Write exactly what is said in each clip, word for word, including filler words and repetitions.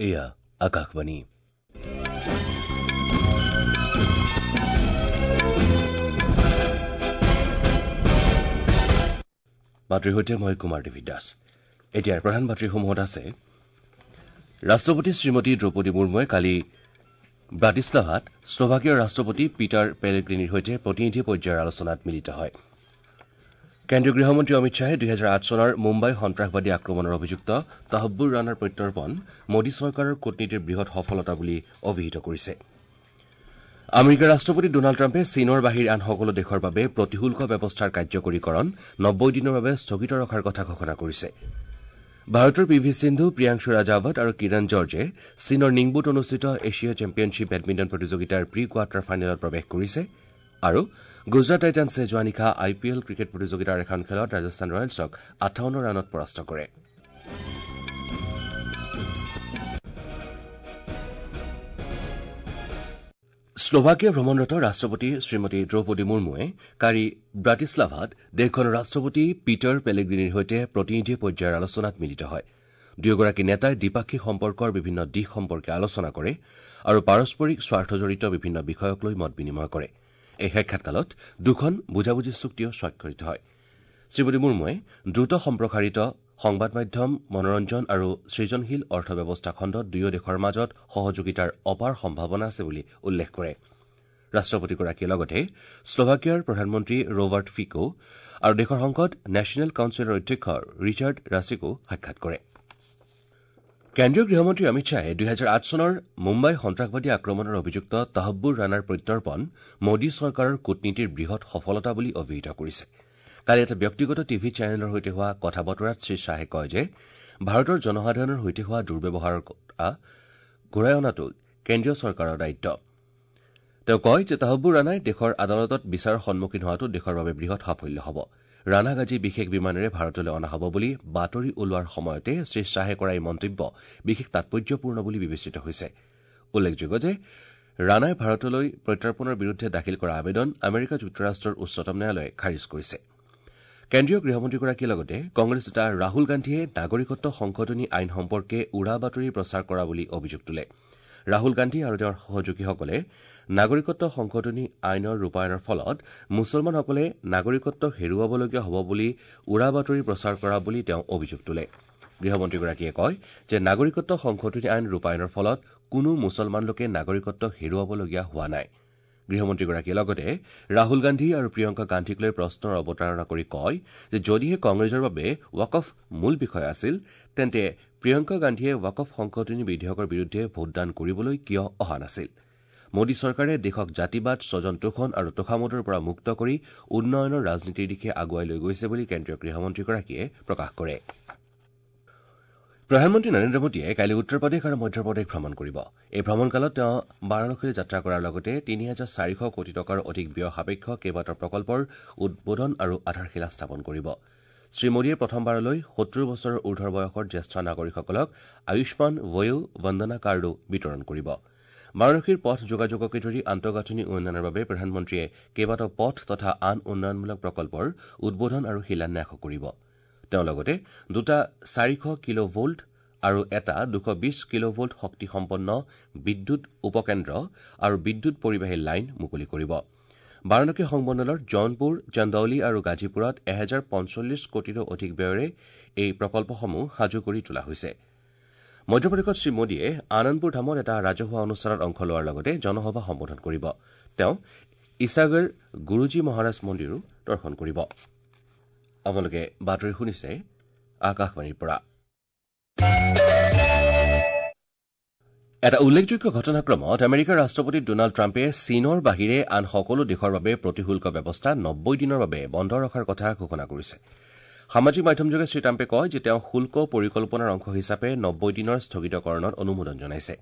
এয়া আকাশবাণী। বাতৰিৰ সৈতে মই কুমাৰ দেৱী দাস। এতিয়াৰ প্ৰধান বাতৰিসমূহত আছে ৰাষ্ট্ৰপতি শ্ৰীমতী দ্ৰৌপদী মুৰ্মুৱে কালি ব্ৰাটিছলাভাত শ্লোভাকিয়াৰ ৰাষ্ট্ৰপতি পিটাৰ পেলেগ্ৰিনিৰ সৈতে প্ৰতিনিধি পৰ্যায়ৰ আলোচনাত মিলিত হয়। কেন্দ্ৰীয় গৃহমন্ত্ৰী অমিত শ্বাহে দুহেজাৰ আঠ চনৰ মুম্বাই সন্ত্ৰাসবাদী আক্ৰমণৰ অভিযুক্ত তাহব্বুৰ ৰাণাৰ প্ৰত্যৰ্পণ মোদী চৰকাৰৰ কূটনীতিৰ বৃহৎ সফলতা বুলি অভিহিত কৰিছে। আমেৰিকাৰ ৰাষ্ট্ৰপতি ডোনাল্ড ট্ৰাম্পে চীনৰ বাহিৰে আন সকলো দেশৰ বাবে প্ৰতিশুল্ক ব্যৱস্থাৰ কাৰ্যকৰীকৰণ নব্বৈ দিনৰ বাবে স্থগিত ৰখাৰ কথা ঘোষণা কৰিছে। ভাৰতৰ পি ভি সিন্ধু, প্ৰিয়াংশু ৰাজাৱত আৰু কিৰণ জৰ্জে চীনৰ নিংবোত অনুষ্ঠিত এছিয়া চেম্পিয়নশ্বিপ বেডমিণ্টন প্ৰতিযোগিতাৰ প্ৰি কোৱাৰ্টাৰ ফাইনেলত প্ৰৱেশ কৰিছে আৰু গুজৰাট টাইটানছে যোৱা নিশা আই পি এল ক্ৰিকেট প্ৰতিযোগিতাৰ এখন খেলত ৰাজস্থান ৰয়েলছক আঠাৱন্ন ৰানত পৰাস্ত কৰে। শ্লোভাকিয়া ভ্ৰমণৰত ৰাষ্ট্ৰপতি শ্ৰীমতী দ্ৰৌপদী মুৰ্মুৱে কালি ব্ৰাটিছলাভাত দেশখনৰ ৰাষ্ট্ৰপতি পিটাৰ পেলেগ্ৰিনিৰ সৈতে প্ৰতিনিধি পৰ্যায়ৰ আলোচনাত মিলিত হয়। দুয়োগৰাকী নেতাই দ্বিপাক্ষিক সম্পৰ্কৰ বিভিন্ন দিশ সম্পৰ্কে আলোচনা কৰে আৰু পাৰস্পৰিক স্বাৰ্থজড়িত বিভিন্ন বিষয়ক লৈ মত বিনিময় কৰে। এই সাক্ষাৎকালত দুখন বুজাবুজি চুক্তিও স্বাক্ষৰিত হয়। শ্ৰীমতী মুৰ্মুৱে দ্ৰুত সম্প্ৰসাৰিত সংবাদ মাধ্যম, মনোৰঞ্জন আৰু সৃজনশীল অৰ্থব্যৱস্থা খণ্ডত দুয়ো দেশৰ মাজত সহযোগিতাৰ অপাৰ সম্ভাৱনা আছে বুলি উল্লেখ কৰে। ৰাষ্ট্ৰপতিগৰাকীয়ে লগতে শ্লোভাকিয়াৰ প্ৰধানমন্ত্ৰী ৰবাৰ্ট ফিকো আৰু দেশৰ সংসদ নেশ্যনেল কাউন্সিলৰ অধ্যক্ষ ৰিচাৰ্ড ৰাছিকো সাক্ষাৎ কৰে। কেন্দ্ৰীয় গৃহমন্ত্ৰী অমিত শ্বাহে দুহেজাৰ আঠ চনৰ মুম্বাই সন্ত্ৰাসবাদী আক্ৰমণৰ অভিযুক্ত তাহব্বুৰ ৰাণাৰ প্ৰত্যৰ্পণ মোদী চৰকাৰৰ কূটনীতিৰ বৃহৎ সফলতা বুলি অভিহিত কৰিছে। কালি এটা ব্যক্তিগত টিভি চেনেলৰ সৈতে হোৱা কথা বতৰাত শ্ৰীশ্বাহে কয় যে ভাৰতৰ জনসাধাৰণৰ সৈতে হোৱা দুৰ্ব্যৱহাৰৰ কথা ঘূৰাই অনাটো কেন্দ্ৰীয় চৰকাৰৰ দায়িত্ব। তেওঁ কয় যে তাহব্বুৰ ৰাণাই দেশৰ আদালতত বিচাৰৰ সন্মুখীন হোৱাটো দেশৰ বাবে বৃহৎ সাফল্য হ'ব। ৰাণাক আজি বিশেষ বিমানেৰে ভাৰতলৈ অনা হ'ব বুলি বাতৰি ওলোৱাৰ সময়তে শ্ৰীশ্বাহে কৰা এই মন্তব্য বিশেষ তাৎপৰ্যপূৰ্ণ বুলি বিবেচিত হৈছে। উল্লেখযোগ্য যে ৰাণাই ভাৰতলৈ প্ৰত্যৰ্পণৰ বিৰুদ্ধে দাখিল কৰা আবেদন আমেৰিকা যুক্তৰাষ্ট্ৰৰ উচ্চতম ন্যায়ালয়ে খাৰিজ কৰিছে। কেন্দ্ৰীয় গৃহমন্ত্ৰীগৰাকীয়ে লগতে কংগ্ৰেছ নেতা ৰাহুল গান্ধীয়ে নাগৰিকত্ব সংশোধনী আইন সম্পৰ্কে উৰা বাতৰি প্ৰচাৰ কৰা বুলি অভিযোগ তোলে। ৰাহুল গান্ধী আৰু তেওঁৰ সহযোগীসকলে নাগৰিকত্ব সংশোধনী আইনৰ ৰূপায়ণৰ ফলত মুছলমানসকলে নাগৰিকত্ব হেৰুৱাবলগীয়া হ'ব বুলি উৰা বাতৰি প্ৰচাৰ কৰা বুলি তেওঁ অভিযোগ তোলে। গৃহমন্ত্ৰীগৰাকীয়ে কয় যে নাগৰিকত্ব সংশোধনী আইন ৰূপায়ণৰ ফলত কোনো মুছলমান লোকে নাগৰিকত্ব হেৰুৱাবলগীয়া হোৱা নাই। গৃহমন্ত্ৰীগৰাকীয়ে লগতে ৰাহুল গান্ধী আৰু প্ৰিয়ংকা গান্ধীক লৈ প্ৰশ্নৰ অৱতাৰণা কৰি কয় যে যদিহে কংগ্ৰেছৰ বাবে ৱাকফ মূল বিষয় আছিল তেন্তে প্ৰিয়ংকা গান্ধীয়ে ৱাকফ সংশোধনী বিধেয়কৰ বিৰুদ্ধে ভোটদান কৰিবলৈ কিয় অহা নাছিল। মোদী চৰকাৰে দেশক জাতিবাদ, স্বজন তোষণ আৰু তোষামোদৰ পৰা মুক্ত কৰি উন্নয়নৰ ৰাজনীতিৰ দিশে আগুৱাই লৈ গৈছে বুলি কেন্দ্ৰীয় গৃহমন্ত্ৰীগৰাকীয়ে প্ৰকাশ কৰে। প্ৰধানমন্ত্ৰী নৰেন্দ্ৰ মোদীয়ে কাইলৈ উত্তৰ প্ৰদেশ আৰু মধ্যপ্ৰদেশ ভ্ৰমণ কৰিব। এই ভ্ৰমণকালত তেওঁ বাৰাণসীলৈ যাত্ৰা কৰাৰ লগতে তিনি হাজাৰ চাৰিশ কোটি টকাৰ অধিক ব্যয় সাপেক্ষ কেইবাটাও প্ৰকল্পৰ উদ্বোধন আৰু আধাৰশিলা স্থাপন কৰিব। শ্ৰীমোদীয়ে প্ৰথমবাৰলৈ সত্তৰ বছৰৰ ঊৰ্ধৰ বয়সৰ জ্যেষ্ঠ নাগৰিকসকলক আয়ুষ্মান বয়ো বন্দনা কাৰ্ডো বিতৰণ কৰিব। বাৰাণসীৰ পথ যোগাযোগকে ধৰি আন্তঃগাঁথনি উন্নয়নৰ বাবে প্ৰধানমন্ত্ৰীয়ে কেইবাটাও পথ তথা আন উন্নয়নমূলক প্ৰকল্পৰ উদ্বোধন আৰু শিলান্যাসো কৰিব। তেওঁ লগতে দুটা চাৰিশ কিলো ভোল্ট আৰু এটা দুশ বিশ কিলো ভোল্ট শক্তিসম্পন্ন বিদ্যুৎ উপকেন্দ্ৰ আৰু বিদ্যুৎ পৰিবাহী লাইন মুকলি কৰিব। বাৰাণসী সংমণ্ডলৰ জৌনপুৰ, চন্দৌলি আৰু গাজীপুৰত এহেজাৰ পঞ্চল্লিছ কোটিৰো অধিক ব্যয়েৰে এই প্ৰকল্পসমূহ সাজু কৰি তোলা হৈছে। মধ্যপ্ৰদেশত শ্ৰীমোদীয়ে আনন্দপুৰ ধামত এটা ৰাজহুৱা অনুষ্ঠানত অংশ লোৱাৰ লগতে জনসভা সম্বোধন কৰিব। তেওঁ ইছাগৰ গুৰুজী মহাৰাজ মন্দিৰো দৰ্শন কৰিব। আপোনালোকে বাতৰি শুনিছে আকাশবাণীৰ পৰা। এটা উল্লেখযোগ্য ঘটনাক্ৰমত আমেৰিকাৰ ৰাষ্ট্ৰপতি ডোনাল্ড ট্ৰাম্পে চীনৰ বাহিৰে আন সকলো দেশৰ বাবে প্ৰতিশুল্ক ব্যৱস্থা নব্বৈ দিনৰ বাবে বন্ধ ৰখাৰ কথা ঘোষণা কৰিছে। সামাজিক মাধ্যমযোগে শ্ৰীট্ৰাম্পে কয় যে তেওঁ শুল্ক পৰিকল্পনাৰ অংশ হিচাপে নব্বৈ দিনৰ স্থগিতকৰণত অনুমোদন জনাইছে।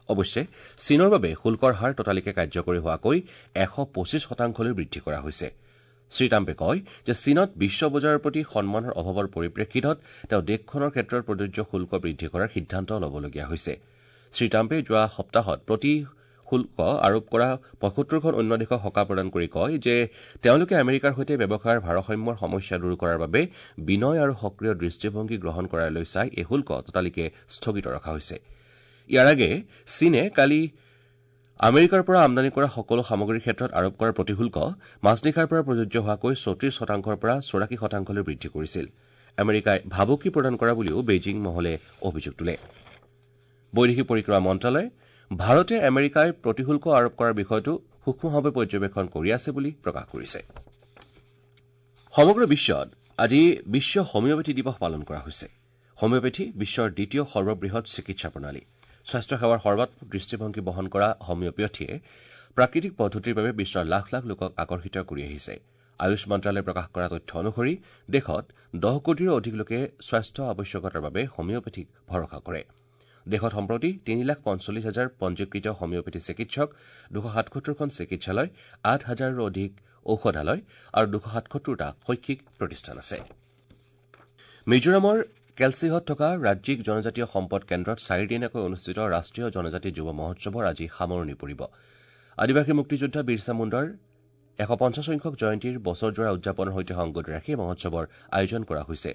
অৱশ্যে চীনৰ বাবে শুল্কৰ হাৰ ততালিকে কাৰ্যকৰী হোৱাকৈ এশ পঁচিছ শতাংশলৈ বৃদ্ধি কৰা হৈছে। শ্ৰীট্ৰাম্পে কয় যে চীনত বিশ্ব বজাৰৰ প্ৰতি সন্মানৰ অভাৱৰ পৰিপ্ৰেক্ষিতত তেওঁ দেশখনৰ ক্ষেত্ৰত প্ৰযোজ্য শুল্ক বৃদ্ধি কৰাৰ সিদ্ধান্ত ল'বলগীয়া হৈছে। শ্ৰীট্ৰাম্পে যোৱা সপ্তাহত প্ৰতি শুল্ক আৰোপ কৰা পঁয়সত্তৰখন অন্য দেশক সকাহ প্ৰদান কৰি কয় যে তেওঁলোকে আমেৰিকাৰ সৈতে ব্যৱসায়ৰ ভাৰসাম্যৰ সমস্যা দূৰ কৰাৰ বাবে বিনয় আৰু সক্ৰিয় দৃষ্টিভংগী গ্ৰহণ কৰালৈ চাই এই শুল্ক ততালিকে স্থগিত ৰখা হৈছে। ইয়াৰ আগেয়ে চীনে কালি আমেৰিকাৰ পৰা আমদানি কৰা সকলো সামগ্ৰীৰ ক্ষেত্ৰত আৰোপ কৰা প্ৰতিশুল্ক মাজনিশাৰ পৰা প্ৰযোজ্য হোৱাকৈ চৌত্ৰিশ শতাংশৰ পৰা চৌৰাশী শতাংশলৈ বৃদ্ধি কৰিছিল। আমেৰিকাই ভাবুকি প্ৰদান কৰা বুলিও বেইজিং মহলে অভিযোগ তোলে। বৈদেশিক পৰিক্ৰমা মন্ত্ৰালয়ে ভাৰতে আমেৰিকাই প্ৰতিশুল্ক আৰোপ কৰাৰ বিষয়টো সূক্ষ্মভাৱে পৰ্যবেক্ষণ কৰি আছে বুলি প্ৰকাশ কৰিছে। সমগ্ৰ বিশ্বত আজি বিশ্ব হোমিঅ'পেথি দিৱস পালন কৰা হৈছে। হোমিঅ'পেথি বিশ্বৰ দ্বিতীয় সৰ্ববৃহৎ চিকিৎসা প্ৰণালী। স্বাস্থ্যসেৱাৰ সৰ্বাত্মক দৃষ্টিভংগী বহন কৰা হোমিঅ'পেথিয়ে প্ৰাকৃতিক পদ্ধতিৰ বাবে বিশ্বৰ লাখ লাখ লোকক আকৰ্ষিত কৰি আহিছে। আয়ুষ মন্ত্ৰালয়ে প্ৰকাশ কৰা তথ্য অনুসৰি দেশত দহ কোটিৰো অধিক লোকে স্বাস্থ্য আৱশ্যকতাৰ বাবে হোমিঅ'পেথিক ভৰসা কৰে। দেশত সম্প্ৰতি তিনি লাখ পঞ্চল্লিছ হাজাৰ পঞ্জীকৃত হোমিঅ'পেথি চিকিৎসক, দুশ সাতসত্তৰখন চিকিৎসালয়, আঠ হাজাৰৰো অধিক ঔষধালয় আৰু দুশ সাতসত্তৰটা শৈক্ষিক প্ৰতিষ্ঠান আছে। মিজোৰামৰ কেলচিহত থকা ৰাজ্যিক জনজাতীয় সম্পদ কেন্দ্ৰত চাৰিদিনীয়াকৈ অনুষ্ঠিত ৰাষ্ট্ৰীয় জনজাতি যুৱ মহোৎসৱৰ আজি সামৰণি পৰিব। আদিবাসী মুক্তিযোদ্ধা বিৰছা মুণ্ডাৰ এশ পঞ্চাছ সংখ্যক জয়ন্তীৰ বছৰজোৰা উদযাপনৰ সৈতে সংগতি ৰাখি মহোৎসৱৰ আয়োজন কৰা হৈছে।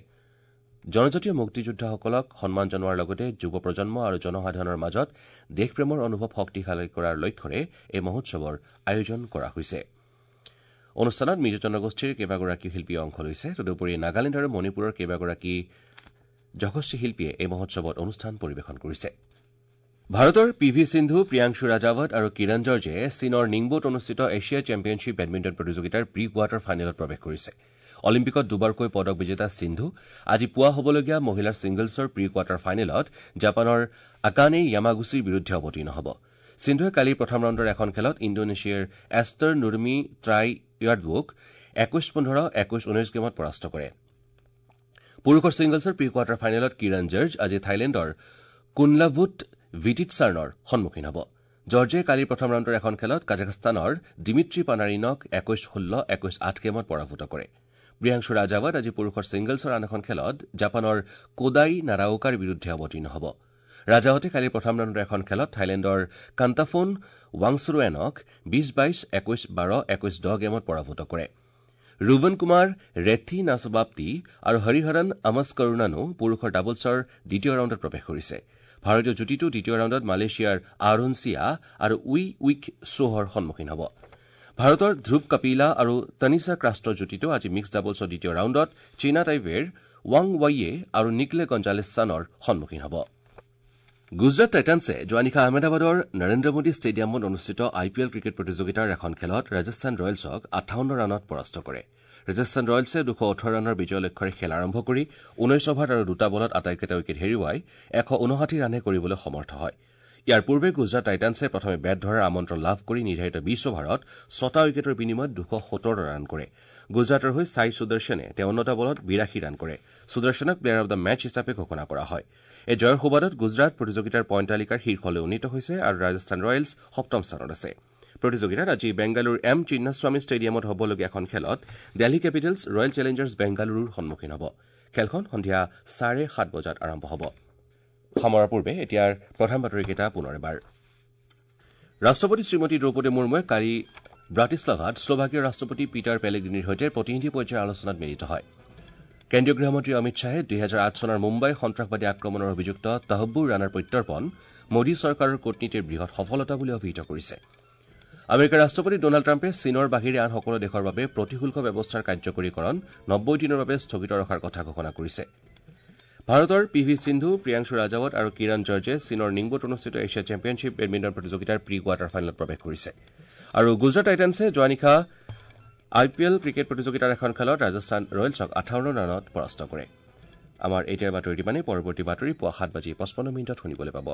জনজাতীয় মুক্তিযোদ্ধাসকলক সন্মান জনোৱাৰ লগতে যুৱ প্ৰজন্ম আৰু জনসাধাৰণৰ মাজত দেশপ্ৰেমৰ অনুভৱ শক্তিশালী কৰাৰ লক্ষ্যৰে এই মহোৎসৱৰ আয়োজন কৰা হৈছে। অনুষ্ঠানত মিজো জনগোষ্ঠীৰ কেইবাগৰাকী শিল্পীয়ে অংশ লৈছে। তদুপৰি নাগালেণ্ড আৰু মণিপুৰৰ কেইবাগৰাকী যশস্বী শিল্পীয়ে এই মহোৎসৱত অনুষ্ঠান পৰিৱেশন কৰিছে। ভাৰতৰ পি ভি সিন্ধু, প্ৰিয়াংশু ৰাজাৱত আৰু কিৰণ জৰ্জে চীনৰ নিংবোত অনুষ্ঠিত এছিয়া চেম্পিয়নশ্বিপ বেডমিণ্টন প্ৰতিযোগিতাৰ প্ৰি কোৱাৰ্টাৰ ফাইনেলত প্ৰৱেশ কৰিছে। অলিম্পিকত দুবাৰকৈ পদক বিজেতা সিন্ধু আজি পুৱা হ'বলগীয়া মহিলাৰ ছিংগলছৰ প্ৰি কোৱাৰ্টাৰ ফাইনেলত জাপানৰ আকানে য়ামাগুচিৰ বিৰুদ্ধে অৱতীৰ্ণ হ'ব। সিন্ধুৱে কালি প্ৰথম ৰাউণ্ডৰ এখন খেলত ইণ্ডোনেছিয়াৰ এষ্টাৰ নুৰমি ট্ৰাই য়াৰ্ডৱুক একৈশ পোন্ধৰ, একৈশ ঊনৈশ গেমত পৰাস্ত কৰে। পুৰুষৰ ছিংগলছৰ প্ৰি কোৱাৰ্টাৰ ফাইনেলত কিৰণ জৰ্জ আজি থাইলেণ্ডৰ কুনলাভুট ভিটিটছাৰ্ণৰ সন্মুখীন হ'ব। জৰ্জে কালি প্ৰথম ৰাউণ্ডৰ এখন খেলত কাজাখস্তানৰ ডিমিট্ৰি পানাৰিনক একৈশ ষোল্ল, একৈশ আঠ গেমত পৰাভূত কৰে। প্ৰিয়াংশু ৰাজাৱত আজি পুৰুষৰ ছিংগলছৰ আন এখন খেলত জাপানৰ কোদাই নাৰাওকাৰ বিৰুদ্ধে অৱতীৰ্ণ হ'ব। ৰাজাৱতে কালি প্ৰথম ৰাউণ্ডৰ এখন খেলত থাইলেণ্ডৰ কান্তাফোন ৱাংছৰুৱেনক বিশ বাইশ, একৈশ বাৰ, একৈশ দহ গেমত পৰাভূত কৰে। ৰুবন কুমাৰ ৰেথি নাছবাপ্তি আৰু হৰিহৰণ আমস্কৰুণানো পুৰুষৰ ডাবলছৰ দ্বিতীয় ৰাউণ্ডত প্ৰৱেশ কৰিছে। ভাৰতীয় যুটীটো দ্বিতীয় ৰাউণ্ডত মালয়েছিয়াৰ আৰুণ চিয়া আৰু উই উইক ছোহৰ সন্মুখীন হ'ব। ভাৰতৰ ধ্ৰুৱ কপিলা আৰু তনিষা ক্ৰাষ্টৰ যুটীটো আজি মিক্স ডাবলছৰ দ্বিতীয় ৰাউণ্ডত চীনা টাইপেৰ ৱাং ৱাইয়ে আৰু নিকলে গঞ্জালেছ চানৰ সন্মুখীন হ'ব। গুজৰাট টাইটানছে যোৱা নিশা আহমেদাবাদৰ নৰেন্দ্ৰ মোদী ষ্টেডিয়ামত অনুষ্ঠিত আই পি এল ক্ৰিকেট প্ৰতিযোগিতাৰ এখন খেলত ৰাজস্থান ৰয়েলছক আঠাৱন্ন ৰানত পৰাস্ত কৰে। ৰাজস্থান ৰয়েলছে দুশ ওঠৰ ৰানৰ বিজয় লক্ষ্যৰে খেল আৰম্ভ কৰি ঊনৈশ অভাৰ আৰু দুটা বলত আটাইকেইটা উইকেট হেৰুৱাই এশ ঊনষাঠি ৰানহে কৰিবলৈ সমৰ্থ হয়। ইয়াৰ পূৰ্বে গুজৰাট টাইটানছে প্ৰথমে বেট ধৰাৰ আমন্ত্ৰণ লাভ কৰি নিৰ্ধাৰিত বিশ অভাৰত ছটা উইকেটৰ বিনিময়ত দুশ সোতৰ ৰান কৰে। গুজৰাটৰ হৈ ছাই সুদৰ্শনে তেৱন্নটা বলত বিৰাশী ৰান কৰে। সুদৰ্শনক প্লেয়াৰ অব the match হিচাপে ঘোষণা কৰা হয়। এই জয়ৰ সুবাদত গুজৰাট প্ৰতিযোগিতাৰ পইণ্ট তালিকাৰ শীৰ্ষলৈ উন্নীত হৈছে আৰু ৰাজস্থান ৰয়েলছ সপ্তম স্থানত আছে। প্ৰতিযোগিতাত আজি বেংগালুৰুৰ এম চিন্নাস্বামী ষ্টেডিয়ামত হ'বলগীয়া এখন খেলত দিল্লী কেপিটেলছ ৰয়েল চেলেঞ্জাৰ্ছ বেংগালুৰুৰ সন্মুখীন হ'ব। খেলখন সন্ধিয়া চাৰে সাত বজাত আৰম্ভ হ'ব। সামৰাৰ পূৰ্বে এতিয়াৰ প্ৰধান বাতৰিকেইটা পুনৰ এবাৰ। ৰাষ্ট্ৰপতি শ্ৰীমতী দ্ৰৌপদী মুৰ্মুৱে কালি ব্ৰাটিছলাভাত শ্লোভাকিয়াৰ ৰাষ্ট্ৰপতি পিটাৰ পেলেগ্ৰিনিৰ সৈতে প্ৰতিনিধি পৰ্যায়ৰ আলোচনাত মিলিত হয়। কেন্দ্ৰীয় গৃহমন্ত্ৰী অমিত শ্বাহে দুহেজাৰ আঠ চনৰ মুম্বাই সন্ত্ৰাসবাদী আক্ৰমণৰ অভিযুক্ত তহব্বুৰ ৰাণাৰ প্ৰত্যৰ্পণ মোদী চৰকাৰৰ কূটনীতিৰ বৃহৎ সফলতা বুলি অভিহিত কৰিছে। আমেৰিকাৰ ৰাষ্ট্ৰপতি ডনাল্ড ট্ৰাম্পে চীনৰ বাহিৰে আন সকলো দেশৰ বাবে প্ৰতিশুল্ক ব্যৱস্থাৰ কাৰ্যকৰীকৰণ নব্বৈ দিনৰ বাবে স্থগিত ৰখাৰ কথা ঘোষণা কৰিছে। ভাৰতৰ পি ভি সিন্ধু, প্ৰিয়াংশু ৰাজাৱত আৰু কিৰণ জৰ্জে চীনৰ নিংবোত অনুষ্ঠিত এছিয়া চেম্পিয়নশ্বিপ বেডমিণ্টন প্ৰতিযোগিতাৰ প্ৰি কোৱাৰ্টাৰ ফাইনেলত প্ৰৱেশ কৰিছে। আৰু গুজৰাট টাইটানছে যোৱা নিশা আই পি এল ক্ৰিকেট প্ৰতিযোগিতাৰ এখন খেলত ৰাজস্থান ৰয়েলছক আঠাৱন্ন ৰানত পৰাস্ত কৰে। আমাৰ এতিয়াৰ বাতৰি ইমানেই। পৰৱৰ্তী বাতৰি পুৱা সাত বাজি পঁচপন্ন মিনিটত শুনিবলৈ পাব।